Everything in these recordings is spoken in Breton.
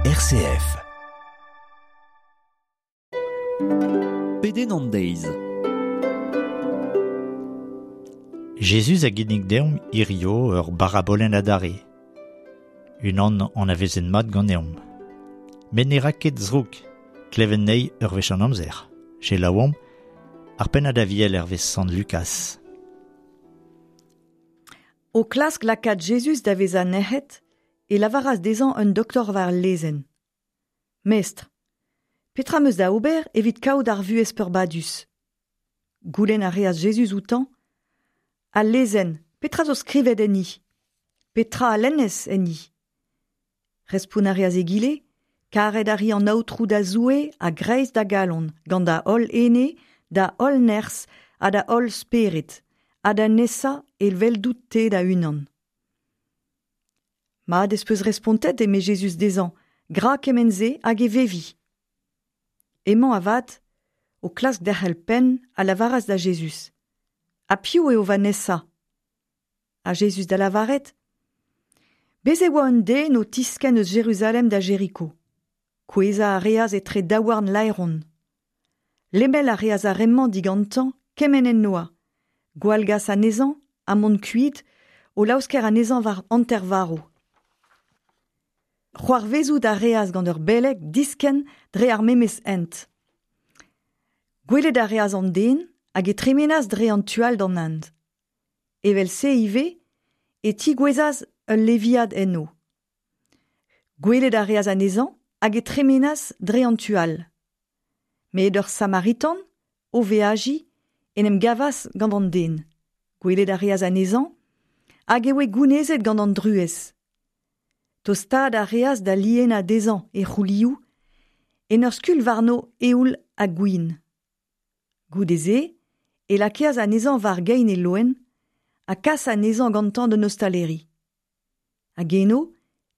RCF. Pedenn an deiz. Jezuz a ginnig deomp hirio ur barabolenn adarre. Unan anavezet mat ganeomp. Met ne ra ket zroug, klevet anezhi ur wech an amzer. Selaouomp ar pennad aviel hervez Sant Lukaz. O klask lakaat Jezuz da vezañ nec'het, e lavaras dezhañ un doktor war al lezenn. Mestr, petra 'm eus da ober evit kaout ar vuhez peurbadus ? Goulenn a reas Jezuz outañ Al lezenn, petra zo skrivet enni ? Petra a lennez enni ? Respont a reas egile Karet a ri an Aotrou da Zoue a-greiz da galon, gant da holl ene, da holl nerzh ha da holl spered, ha da nesañ eveldout-te da-unan. Mat ez peus respontet, eme Jezuz dezhañ, gra kement-se hag e vevi. Emañ avat, o klask derc'hel penn, a lavaras da Jezuz Ha piv eo va nesañ ? Ha Jezuz da lavaret Bez' e oa un den o tiskenn eus Jeruzalem da Jeriko. Kouezhañ a reas etre daouarn laeron. Lemel a reas ar re-mañ digantañ kement en doa, gwallgas anezhañ ha mont kuit o laosker anezhañ war hanter-varv. C'hoarvezout a reas gant ur beleg diskenn dre ar memes hent. Gwelet a reas an den hag e tremenas dre an tu all d'an hent. Evel-se ivez e tigouezhas ul leviad eno. Gwelet a reas anezhañ hag e tremenas dre an tu all. Met ur Samaritan, o veajiñ, en em gavas gant an den. Gwelet a reas anezhañ hag e oe gounezet gant an druez. Tostaat a reas da lienañ dezhañ e c'houlioù en ur skulh warno eoul ha gwin. Goude-se e lakaas anezhañ war gein e loen ha kas anezhañ gantañ d'un ostaleri. Hag eno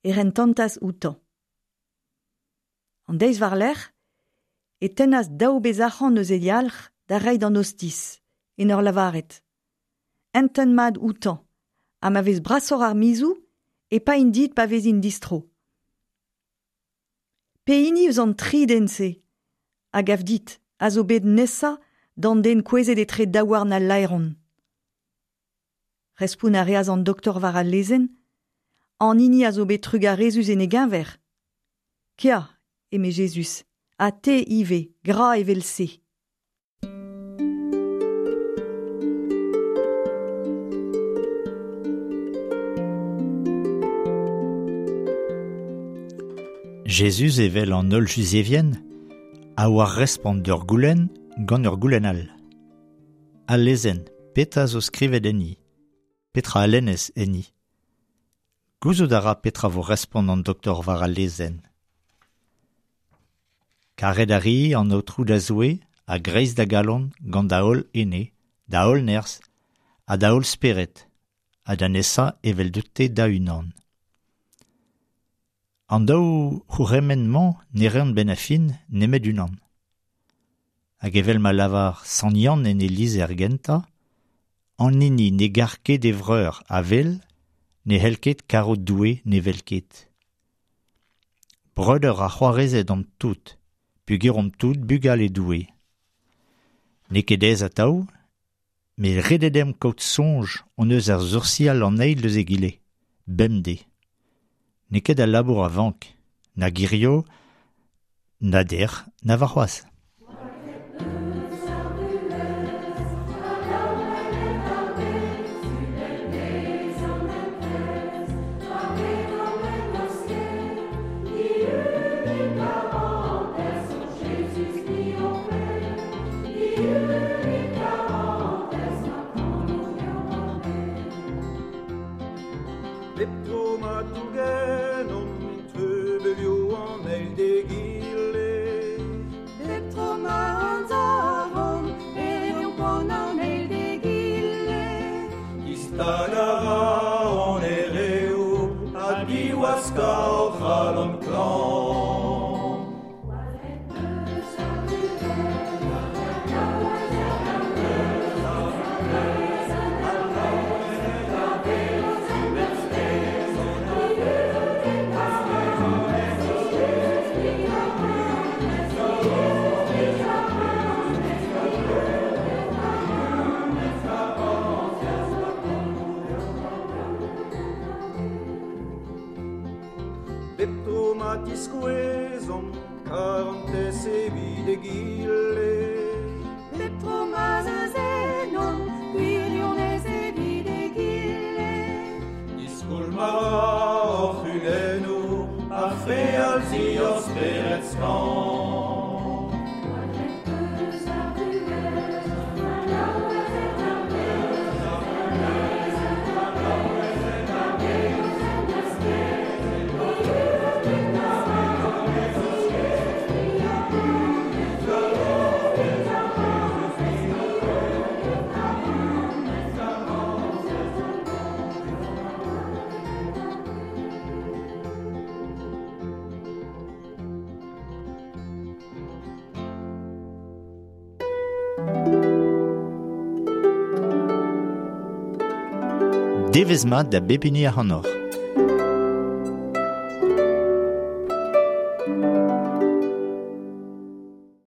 e rentantas outañ. An deiz war-lerc'h e tennas daou bezh arc'hant eus e yalc'h da reiñ d'an ostiz, en ur lavaret Entent mat outañ, ha ma vez brasoc'h ar mizoù e paein dit pa vezin distro. Pehini eus an tri den-se, a gav dit, a zo bet nesañ d'an den kouezhet etre daouarn al laeron ? Respont a reas an doktor war al lezenn, An hini a zo bet trugarezus en e geñver. Kea, eme Jezuz, ha te ivez, gra evel-se. Jezuz evel an holl Juzevien a oar respont d'ur goulenn gant ur goulenn all. Al lezenn, petra zo skrivet enni ? Petra a lennez enni ? Gouzout a ra petra vo respont an doktor war al lezenn. Karet a ri an Aotrou da Zoue a-greiz da galon gant da holl ene, da holl nerzh ha da holl spered, ha da nesañ eveldout-te da-unan. An daou c'hourc'hemenn-mañ ne reont 'benn ar fin nemet unan. Hag evel ma lavar Sant Yann en e lizher gentañ, an hini ne gar ket e vreur a wel ne c'hell ket karout Doue ne wel ket. Breudeur ha c'hoarezed omp tout, peogwir omp tout bugale Doue. N'eo ket aes atav, met ret eo deomp kaout soñj hon eus ar soursial an eil eus egile, bemdez. N'eo ket al labour a vank, nag hirio, na dec'h, na warc'hoazh. Bep tro ma tougenomp treubelioù an eil d'egile. Bep tro ma anzavomp e reomp poan an eil d'egile. Distagañ a ra hon ereoù ha diwaskañ hor c'halon klañv. tro ma diskouezomp karantez evit egile. Bep tro ma'z eus ennomp gwirionez evit egile. Diskoulm a ra hor c'hudennoù ar frealzi hor spered skañv. Devezh mat da bep hini ac'hanoc'h.